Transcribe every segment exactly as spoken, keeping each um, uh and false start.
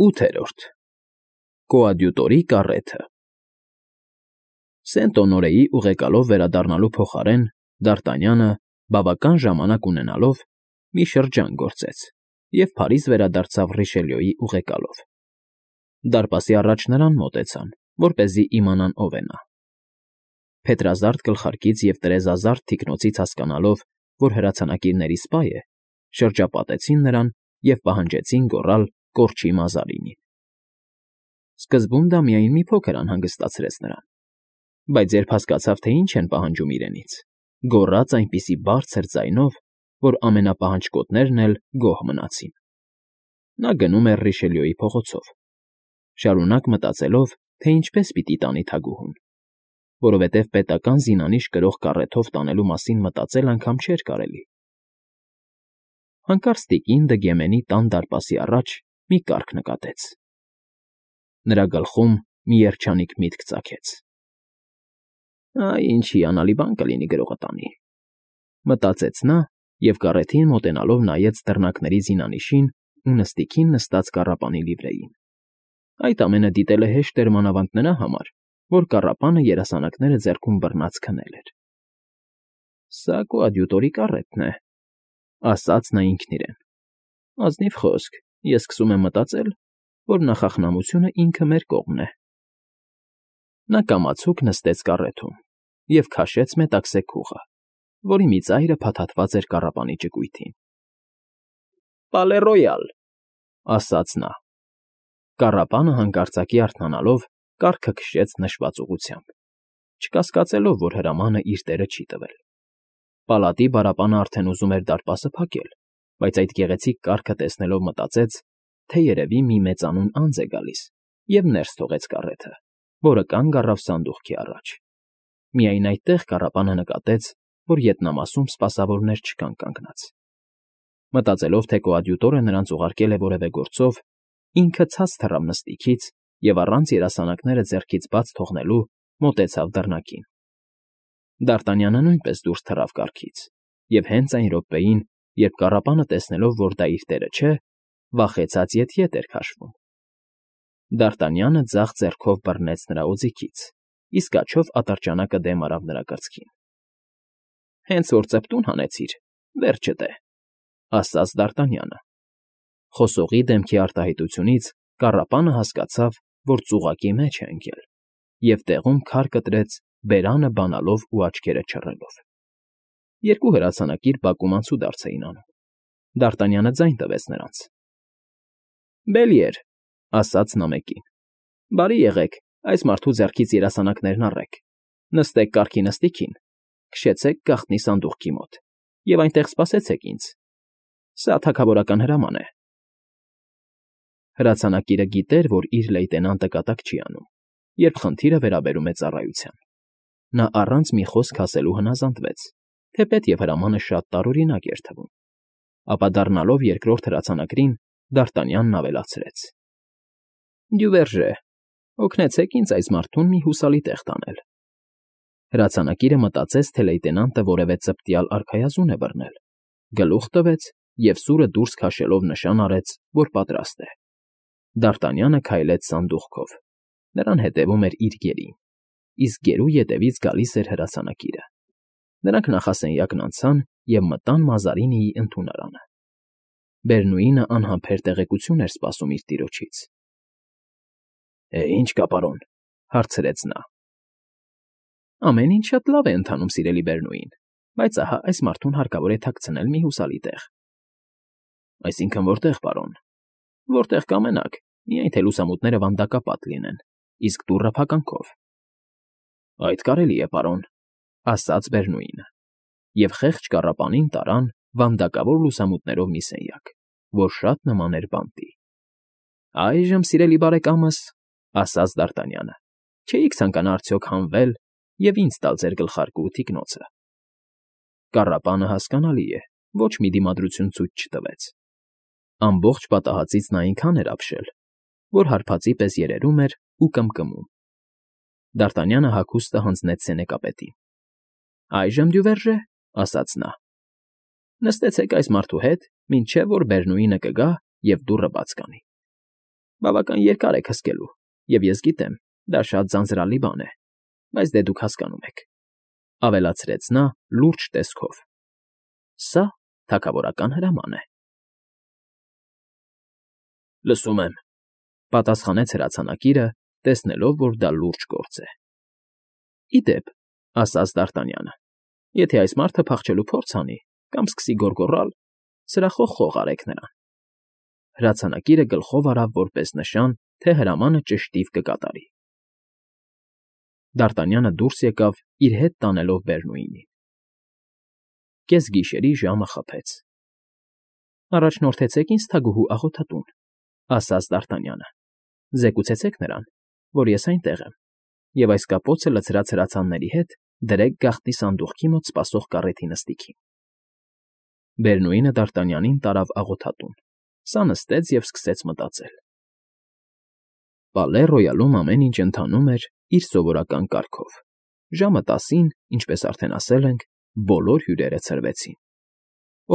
ՈՒԹԵՐՈՐԴ Կոադյուտորի կառեթը Սենտ֊Օնորեի ուղեկալով վերադառնալու փոխարեն Դ'Արտանյանը, բավական ժամանակ ունենալով, մի շրջան գործեց և Փարիզ վերադարձավ Ռիշելյոյի ուղեկալով. դարպասի առաջ նրան մոտեցան, որպեսզի իմանան ով է նա. փետրազարդ գլխարկից և տերևազարդ թիկնոցից հասկանալով, որ հրացանակիրների սպա է, շրջապատեցին նրան և պահանջեցին գոռալ Կորչի Մազարինին։ Սկզբում դա միայն մի փոքր անհանգստացրեց նրան, բայց երբ հասկացավ, թե ինչ են պահանջում իրենից, գոռաց այնպիսի բարձր ձայնով, որ ամենապահանջկոտներն էլ գոհ մնացին։ Նա գնում էր Ռիշելյոյի փողոցով, շարունակ մտածելով, թե ինչպես պիտի տանի թագուհուն, որովհետև պետական զինանիշ կրող կառեթով տանելու մասին մտածել անգամ չէր կարելի։ Հանկարծ տիկին Դգեմենի տան դարպասի առաջ մի կառք նկատեց։ Նրա գլխում մի երջանիկ միտք ծագեց. «Այ ինչ հիանալի բան կլինի գրողը տանի», մտածեց նա և կառեթին մոտենալով նայեց դռնակների զինանիշին ու նստիքին նստած կառապանի լիվրեին։ Այդ ամենը դիտելը հեշտ էր մանավանդ նրա համար, որ կառապանը երասանակները ձեռքում բռնած քնել էր։ «Սա կոադյուտորի կառեթն է», ասաց նա ինքն իրեն։ «Ազնիվ խոսք, ես սկսում եմ մտածել, որ նախախնամությունը ինքը մեր կողմն է»։ Նա կամացուկ նստեց կառեթում և քաշեց մետաքսե քուղը, որի մի ծայրը փաթաթված էր կառապանի ճկույթին։ «Պալե Ռոյալ», ասաց նա։ Կառապանը հանկարծակի արթնանալով կառքը քշեց նշված ուղղությամբ, չկասկածելով, որ հրամանը իր տերը չի տվել։ Պալատի բարապանը արդեն ուզում էր դարպասը փակել, բայց այդ գեղեցիկ կառքը տեսնելով մտածեց, թե երևի մի մեծանուն անձ է գալիս և ներս թողեց կառեթը, որը կանգ առավ սանդուղքի առաջ։ Միայն այդտեղ կառապանը նկատեց, որ ետնամասում սպասավորներ չկան կանգնած։ Մտածելով, թե կոադյուտորը նրանց ուղարկել է որևէ գործով, ինքը ցած թռավ նստիքից և առանց երասանակները ձեռքից բաց թողնելու մոտեցավ դռնակին։ Դ'Արտանյանը նույնպես դուրս թռավ կառքից և հենց այն րոպեին, երբ կառապանը տեսնելով, որ դա իր տերը չէ, վախեցած ետ֊ետ էր քաշվում։ Դ'Արտանյանը ձախ ձեռքով բռնեց նրա օձիքից, իսկ աջով ատրճանակը դեմ արավ նրա կրծքին։ «Հենց որ ծպտուն հանեցիր, վերջդ է», ասաց Դ'Արտանյանը։ Խոսողի դեմքի արտահայտությունից կառապանը հասկացավ, որ ծուղակի մեջ է ընկել, և տեղում քար կտրեց բերանը բանալով ու աչքերը չռելով։ Երկու հրացանակիր բակում անցուդարձ էին անում։ Դ'Արտանյանը ձայն տվեց նրանց։ «Բելիեր», ասաց նա մեկին, «բարի եղեք, այս մարդու ձեռքից երասանակներն առեք, նստեք կառքի նստիքին, քշեցեք գաղտնի սանդուղքի մոտ և այնտեղ սպասեցեք ինձ։ Սա թագավորական հրաման է»։ Հրացանակիրը գիտեր, որ իր լեյտենանտը կատակ չի անում, երբ խնդիրը վերաբերում է ծառայության։ Նա առանց մի խոսք ասելու հնազանդվեց, թեպետև հրամանը շատ տարօրինակ էր թվում։ Ապա դառնալով երկրորդ հրացանակրին, Դ'Արտանյանն ավելացրեց. «Դյուվերժե, օգնեցեք ինձ այս մարդուն մի հուսալի տեղ տանել»։ Հրացանակիրը մտածեց, թե լեյտենանտը որևէ ծպտյալ արքայազուն է բռնել, գլուխ տվեց և սուրը դուրս քաշելով նշան արեց, որ պատրաստ է։ Դ'Արտանյանը քայլեց սանդուղքով, նրան հետևում էր իր գերին, իսկ գերու ետևից գալիս էր հրացանակիրը։ Նրանք նախասենյակն անցան և մտան Մազարինիի ընդունարանը։ Բերնուինը անհամբեր տեղեկություն էր սպասում իր տիրոջից։ «Է, ի՞նչ կա, պարոն», հարցրեց նա։ «Ամեն ինչ շատ լավ է ընթանում, սիրելի Բերնուին, բայց ահա այս մարդուն հարկավոր է թաքցնել մի հուսալի տեղ»։ «Այսինքն որտե՞ղ, պարոն»։ «Որտեղ կամենաք, միայն թե լուսամուտները վանդակապատ լինեն, իսկ դուռը փականքով»։ «Այդ կարելի է, պարոն», ասաց Բերնուինը, և խեղճ կառապանին տարան վանդակավոր լուսամուտներով մի սենյակ, որ շատ նման էր բանտի։ «Այժմ, սիրելի բարեկամս», ասաց Դ'Արտանյանը, «չէիք ցանկանա արդյոք հանվել և ինձ տալ ձեր գլխարկը ու թիկնոցը»։ Կառապանը, հասկանալի է, ոչ մի դիմադրություն ցույց չտվեց։ Ամբողջ պատահածից նա այնքան էր ապշել, որ հարբածի պես երերում էր ու կմկմում։ Դ'Արտանյանը հագուստը հանձնեց սենեկապետին։ «Այժմ, Դյուվերժե», ասաց նա, «նստեցեք այս մարդու հետ, մինչև որ Բերնուինը կգա և դուռը բաց կանի»։ Բավական երկար եք հսկելու, և ես գիտեմ, դա շատ ձանձրալի բան է, բայց դե դուք հասկանում եք,֊ ավելացրեց նա լուրջ տեսքով։֊ Սա թագավորական հրաման է։ ֊ Լսում եմ,֊ պատասխանեց հրացանակիրը, տեսնելով, որ դա լուրջ գործ է։ ֊ Ի դեպ,֊ ասաց Դ'Արտանյանը,֊ եթե այս մարդը փախչելու փորձ անի կամ սկսի գոռգոռալ, սրախո խող արեք նրան։ Հրացանակիրը գլխով արավ որպես նշան, թե հրամանը ճշտիվ կկատարի։ Դ'Արտանյանը դուրս եկավ, իր հետ տանելով Բերնուինին։ Կեսգիշերի ժամը խփեց։ ֊ Առաջնորդեցեք ինձ թագուհու աղոթատուն,֊ ասաց Դ'Արտանյանը,֊ զեկուցեցեք նրան, որ ես այնտեղ եմ, և այս կապոցը լցրած հրացանների հետ դրեք գաղտնի սանդուղքի մոտ սպասող կառեթի նստիքին։ Բերնուինը Դ'Արտանյանին տարավ աղոթատուն, սա նստեց և սկսեց մտածել։ Պալե Ռոյալում ամեն ինչ ընթանում էր իր սովորական կարգով. ժամը տասին, ինչպես արդեն ասել ենք, բոլոր հյուրերը ցրվեցին։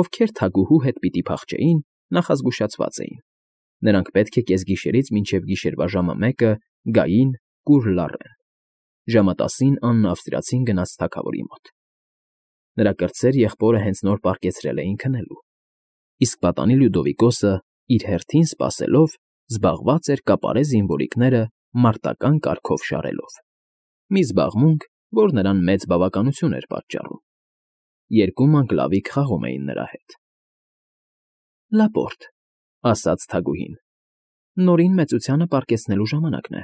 Ովքեր թագուհու հետ պիտի փախչեին, նախազգուշացված էին. նրանք պետք է կեսգիշերից մինչև գիշերվա ժամը մեկը գային կուռ լառեն։ Ժամը տասին Աննը ավստրիացին գնաց թագավորի մոտ։ Նրա կրտսեր եղբորը հենց նոր պառկեցրել էին քնելու, իսկ պատանի Լյուդովիկոսը, իր հերթին սպասելով, զբաղված էր կապարե զինվորիկները մարտական կարգով շարելով։ Մի զբաղմունք, որ նրան մեծ բավականություն էր պատճառում։ Երկու մանկլավիկ խաղում էին նրա հետ։ ֊ Լապորտ,֊ ասաց թագուհին,֊ Նորին մեծությանը պառկեցնելու ժամանակն է։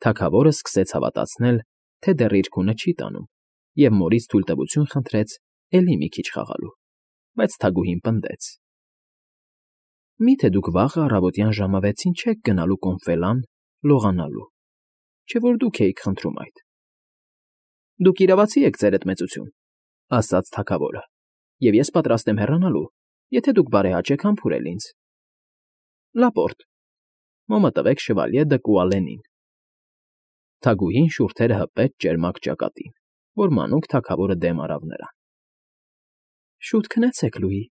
Թագավորը սկսեց հավատացնել, թե դեռ իր քունը չի տանում, և մորից թույլտվություն խնդրեց էլի մի քիչ խաղալու, բայց թագուհին պնդեց. Մի՞թե դուք վաղը առավոտյան ժամը վեցին չեք գնալու Կոմֆելան լողանալու, չէ՞ որ դուք էիք խնդրում այդ։ ֊ Դուք իրավացի եք, ձերդ մեծություն,֊ ասաց թագավորը,֊ և ես պատրաստ եմ հեռանալու, եթե դուք բարեհաճ եք համբուրել ինձ։ ֊ Լապորտ,֊ մոմը տվեք Շևալյե դը Կուալենին։ Թագուհին շուրթերը հպեց ճերմակ ճակատին, որ մանուկ թագավորը դեմ արավ նրան։ ֊ Շուտ քնեցեք, Լուի,֊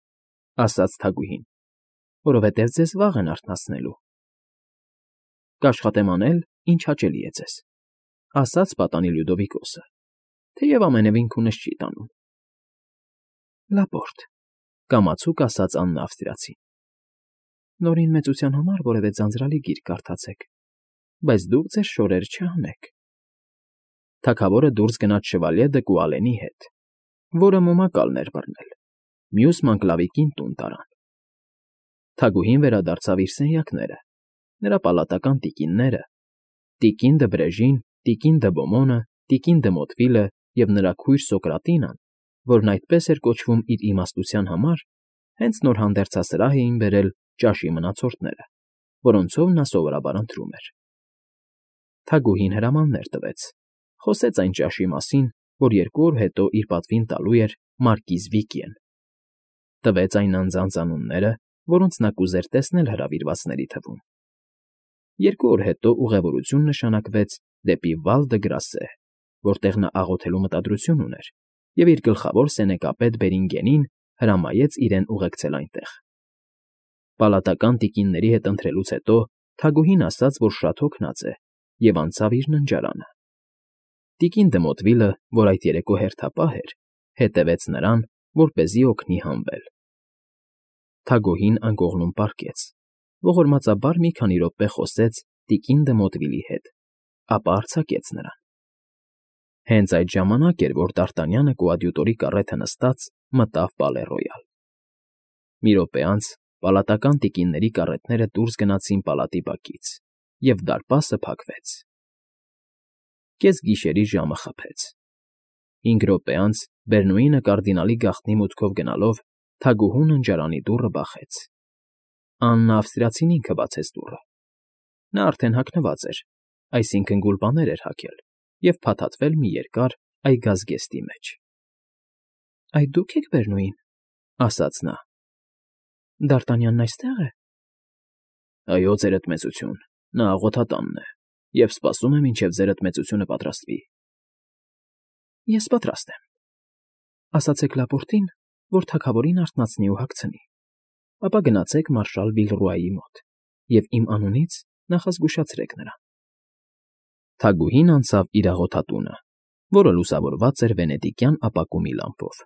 ասաց թագուհին, որովհետև ձեզ վաղ են արթնացնելու։ ֊ Կաշխատեմ անել, ինչ հաճելի է ձեզ,֊ ասաց պատանի Լյուդովիկոսը, թեև ամենևին քունս չի տանում։ ֊ Լապորտ,֊ կամացուկ ասաց Աննը ավստրիացին,֊ Նորին մեծության համար որևէ ձանձրալի գիրք կարդացեք, բայց դուք ձեր շորերը չհանեք։ Թագավորը դուրս գնաց Շևալյե դը Կուալենի հետ, որը մոմակալն էր բռնել, մյուս մանկլավիկին տուն տարան։ Թագուհին վերադարձավ իր սենյակները, նրա պալատական տիկինները, տիկին դը Բրեժին, տիկին դը Բոմոնը, տիկին դը Մոտվիլը և նրա քույր Սոկրատինան, որն այդպես էր կոչվում իր իմաստության համար, հենց նոր հանդերձասրահ էին բերել ճաշի մնացորդները, որոնցով նա սովորաբար ընթրում էր։ Թագուհին հրամաններ տվեց, խոսեց այն ճաշի մասին, որ երկու օր հետո իր պատվին տալու էր մարկիզ Վիկիեն, տվեց այն անձանց անունները, որոնց նա կուզեր տեսնել հրավիրվածների թվում։ Երկու օր հետո ուղևորություն նշանակվեց դեպի Վալ դը Գրասե, որտեղ նա աղոթելու մտադրություն ուներ, և իր գլխավոր սենեկապետ Բերինգենին հրամայեց իրեն ուղեկցել այնտեղ։ Պալատական տիկինների հետ ընթրելուց հետո թագուհին ասաց, որ շատ հոգնած է, և անցավ իր ննջարանը։ Տիկին դը Մոտվիլը, որ այդ երեկո հերթապահ էր, հետևեց նրան, որպեսզի օգնի հանվել։ Թագուհին անկողնում պառկեց, ողորմածաբար մի քանի րոպե խոսեց տիկին դը Մոտվիլի հետ, ապա արձակեց նրան։ Հենց այդ ժամանակ էր, որ Դ'Արտանյանը կոադյուտորի կառեթը նստած մտավ Պալե Ռոյալ։ Մի րոպե անց պալատական տիկինների կառետները դուրս գնացին պալատի բակից, և դարպասը փակվեց։ Կեսգիշերի ժամը խփեց։ Հինգ րոպե անց Բերնուինը կարդինալի գաղտնի մուտքով գնալով թագուհու ննջարանի դուռը բախեց։ Աննը ավստրիացին ինքը բացեց դուռը։ Նա արդեն հագնված էր, այսինքն գուլպաներ էր հագել և փաթաթվել մի երկար այգազգեստի մեջ։ ֊ Այդ դուք եք, Բերնուին,֊ ասաց նա։ ֊ Դ'Արտանյանն այստե՞ղ է։ ֊ Այո, ձերդ մեծություն, նա աղոթատանն է, և սպասում է, մինչև ձերդ մեծությունը պատրաստվի։ ֊ Ես պատրաստ եմ։ Ասացեք Լապորտին, որ թագավորին արթնացնի ու հագցնի, ապա գնացեք մարշալ Վիլռուայի մոտ, և իմ անունից նախազգուշացրեք նրան։ Թագուհին անցավ իր աղոթատունը, որը լուսավորված էր վենետիկյան ապակումի լամպով։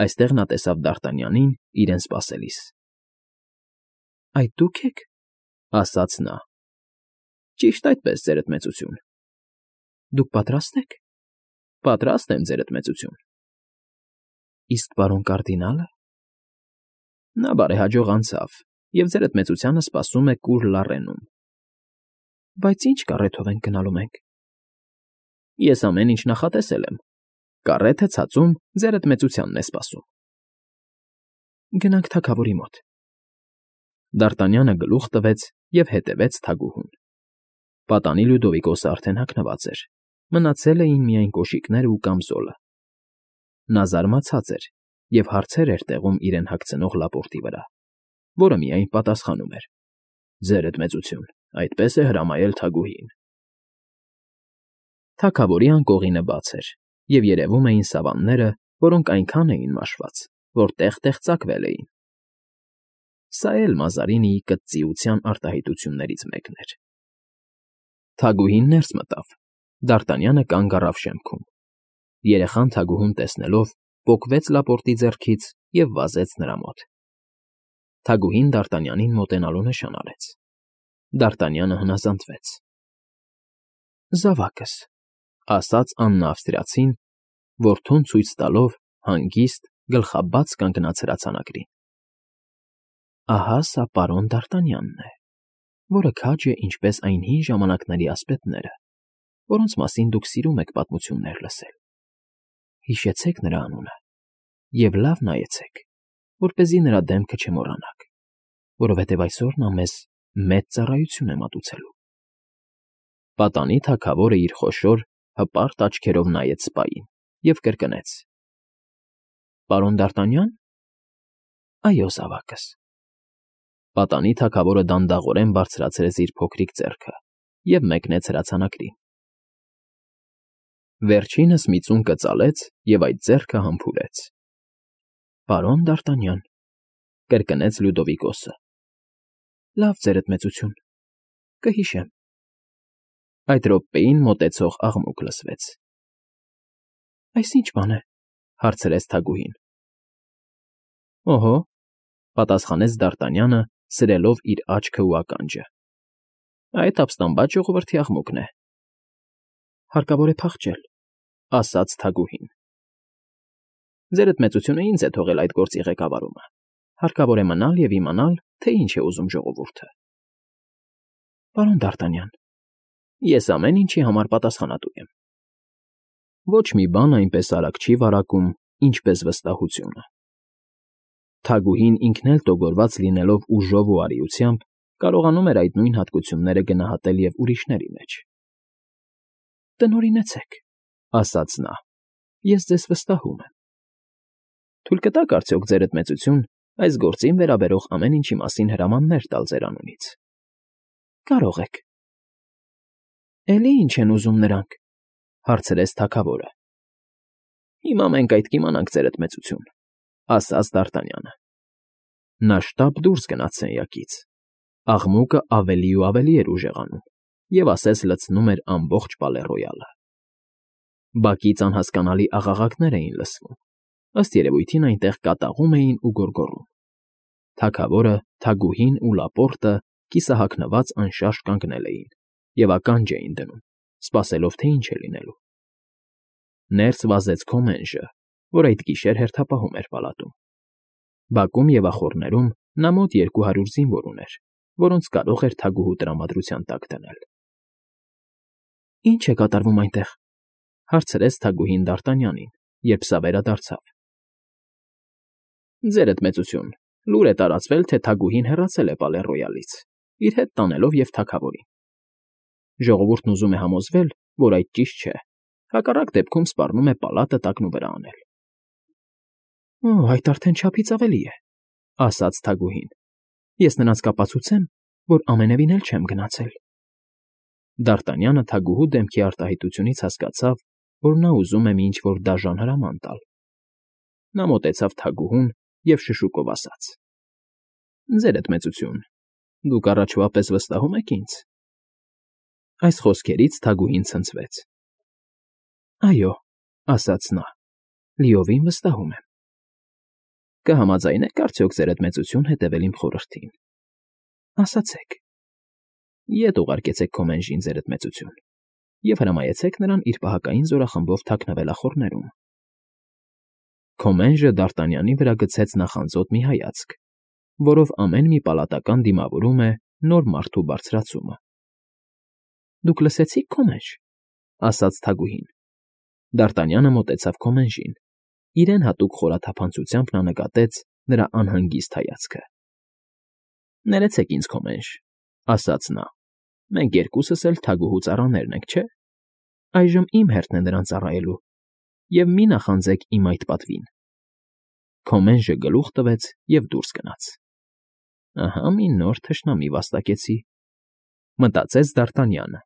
Այստեղ նա տեսավ Դարտանյանին իրեն սպասելիս։ ֊ Այդ դու՞ք եք,֊ ասաց նա։ ֊ Ճիշտ այդպես, ձերդ մեծություն։ ֊ Դուք պատրաստ եք։ ֊ Պատրաստ եմ, ձերդ մեծություն։ ֊ Իսկ պարոն կարդինա՞լը։ ֊ Նա բարեհաջող անցավ և ձերդ մեծությանը սպասում է Կուր Լառենում։ ֊ Բայց ի՞նչ կառեթով ենք գնալու մենք։ ֊ Ես ամեն ինչ նախատեսել եմ։ Կառեթը ցածում ձերդ մեծությանն է սպասում։ ֊ Գնանք թագավորի մոտ։ Դարտանյանը գլուխ տվեց և հետևեց թագուհուն։ Պատանի Լյուդովիկոսը արդեն հագնված էր, մնացել էին միայն կոշիկներն ու կամզոլը։ Նա զարմացած էր և հարցեր էր տեղում իրեն հագցնող լապորտի վրա, որը միայն պատասխանում էր. «Ձերդ մեծություն, այդպես է հրամայել թագուհին»։ Թագավորի անկողինը բաց էր, և երևում էին սավանները, որոնք այնքան էին մաշված, որ տեղ֊տեղ ծակվել էին։ Սա էլ Մազարինիի կծծիության արտահայտություններից մեկն էր։ Թագուհին ներս մտավ, Դարտանյանը կանգ առավ շեմքում։ Երեխան թագուհուն տեսնելով պոկվեց լապորտի ձեռքից և վազեց նրա մոտ։ Թագուհին Դարտանյանին մոտենալու նշան արեց։ Դարտանյանը հնազանդվեց։ ֊ Զավակս,֊ ասաց Աննա ավստրիացին, որդուն ցույց տալով հանգիստ, գլխաբաց կանգնած հրացանակին։ Ահա սա պարոն Դարտանյանն է, որը քաջ է ինչպես այն հին ժամանակների ասպետները, որոնց մասին դուք սիրում եք պատմություններ լսել։ Հիշեցեք նրա անունը և լավ նայեցեք, որպեսզի նրա դեմքը չմոռանաք, որովհետև այսօր նա մեզ մեծ ծառայություն է մատուցելու։ Պատանի թագավորը իր խոշոր, հպարտ աչքերով նայեց սպային և կրկնեց. «Պարոն Դարտանյա՞ն»։ ֊ Այո, զավակս։ Պատանի թագավորը դանդաղորեն բարձրացրեց իր փոքրիկ ձեռքը և մեկնեց հրացանակին։ Վերջինս մի ծուն կծալեց և այդ ձեռքը համբուրեց։ ֊ Պարոն Դարտանյան,֊ կրկնեց Լյուդովիկոսը։ ֊ Լավ, ձերդ մեծություն, կհիշեմ։ Այդ րոպեին մոտեցող աղմուկ լսվեց։ ֊ Այս ի՞նչ բան է,֊ հարցրեց թագուհին։ ֊ Օհո,֊ պատասխանեց Դարտանյանը, սրելով իր աչքն ու ականջը,֊ այդ ապստամբած ժողովրդի աղմուկն է։ ֊ Հարկավոր է փախչել,֊ ասաց թագուհին։ ֊ Ձերդ մեծությունը ինձ է թողել այդ գործի ղեկավարումը։ Հարկավոր է մնալ և իմանալ, թե ինչ է ուզում ժողովուրդը։ ֊ Պարոն Դարտանյան, ես ամեն ինչի համար պատասխանատու եմ։ Ոչ մի բան այնպես արագ չի վարակում, ինչպես վստահությունը։ Թագուհին ինքն էլ տոգորված լինելով ուժով ու արիությամբ, կարողանում էր այդ նույն հատկությունները գնահատել և ուրիշների մեջ։ ֊ Տնօրինեցեք,֊ ասաց նա,֊ ես ձեզ վստահում եմ։ Թույլ կտա՞ք արդյոք, ձերդ մեծություն, այս գործին վերաբերող ամեն ինչի մասին հրամաններ տալ ձեր անունից։ ֊ Կարող եք։ ֊ Էլի ի՞նչ են ուզում նրանք,֊ հարցրեց թագավորը։ ֊ Հիմա մենք այդ կիմանանք, ձերդ մեծություն,֊ ասաց Դարտանյանը։ Նա շտապ դուրս գնաց սենյակից։ Աղմուկը ավելի ու ավելի էր ուժեղանում և ասես լցնում էր ամբողջ Պալե֊Ռոյալը։ Բակից անհասկանալի աղաղակներ էին լսվում, ըստ երևույթին այնտեղ կատաղում էին ու գոռգոռում։ Թագավորը, թագուհին ու լապորտը կիսահագնված անշարժ կանգնել էին և ականջ էին դնում, սպասելով, թե ինչ է լինելու։ Ներս վազեց Քոմենժը, որ այդ գիշեր հերթապահում էր պալատում։ Բակում և ախոռներում նա մոտ երկու հարյուր զինվոր ուներ, որոնց կարող էր թագուհու տրամադրության տակ դնել։ ֊ Ի՞նչ է կատարվում այնտեղ,֊ հարցրեց թագուհին Դարտանյանին, երբ սա վերադարձավ։ ֊ Ձերդ մեծություն, լուր է տարածվել, թե թագուհին հեռացել է Պալե֊Ռոյալից, իր հետ տանելով և թագավորին։ Ժողովուրդն ուզում է համոզվել, որ այդ ճիշտ չէ, հակառակ դեպքում սպառնում է պալատը տակնուվրա անել։ ֊ Օ, այդ արդեն չափից ավելի է,֊ ասաց թագուհին։ Ես նրանց կապացուցեմ, որ ամենևին էլ չեմ գնացել։ Դարտանյանը թագուհու դեմքի արտահայտությունից հասկացավ, որ նա ուզում է մի ինչ֊որ դաժան հրաման տալ։ Նա մոտեցավ թագուհուն և շշուկով ասաց. ֊ Ձերդ մեծություն, Դուք առաջվա պես վստահում եք ինձ։ Այս խոսքերից Թագուհին ցնցվեց։ Այո, ասաց նա, լիովին վստահում եմ։ Կհամաձայնեք արդյոք ձեր հետ մեծություն հետևել իմ խորհրդին։ Ասացեք։ Ետ ուղարկեցեք Քոմենժին ձեր հետ մեծություն և հրամայեցեք նրան իր պահակային զորախմբով թաքնվել ախոռներում։ Քոմենժը Դարտանյանի վրա գցեց նախանձոտ մի հայացք, որով ամեն մի պալատական դիմավորում է նոր մարդու բարձրացումը։ Դուք լսեցի՞ք, Քոմենժ, ասաց Թագուհին։ Դարտանյանը մոտեցավ Քոմենժին, իրեն հատուկ խորաթափանցությամբ նա նկատեց նրա անհանգիստ հայացքը։ Ներեցեք ինձ, Քոմենժ, ասաց նա, մենք երկուսս էլ թագուհու ծառաներն ենք, չէ՞։ Այժմ իմ հերթն է նրան ծառայելու, և մի նախանձեք իմ այդ պատվին։ Քոմենժը գլուխ տվեց և դուրս գնաց։ Ահա մի նոր թշնամի վաստակեցի, մտածեց Դարտանյանը։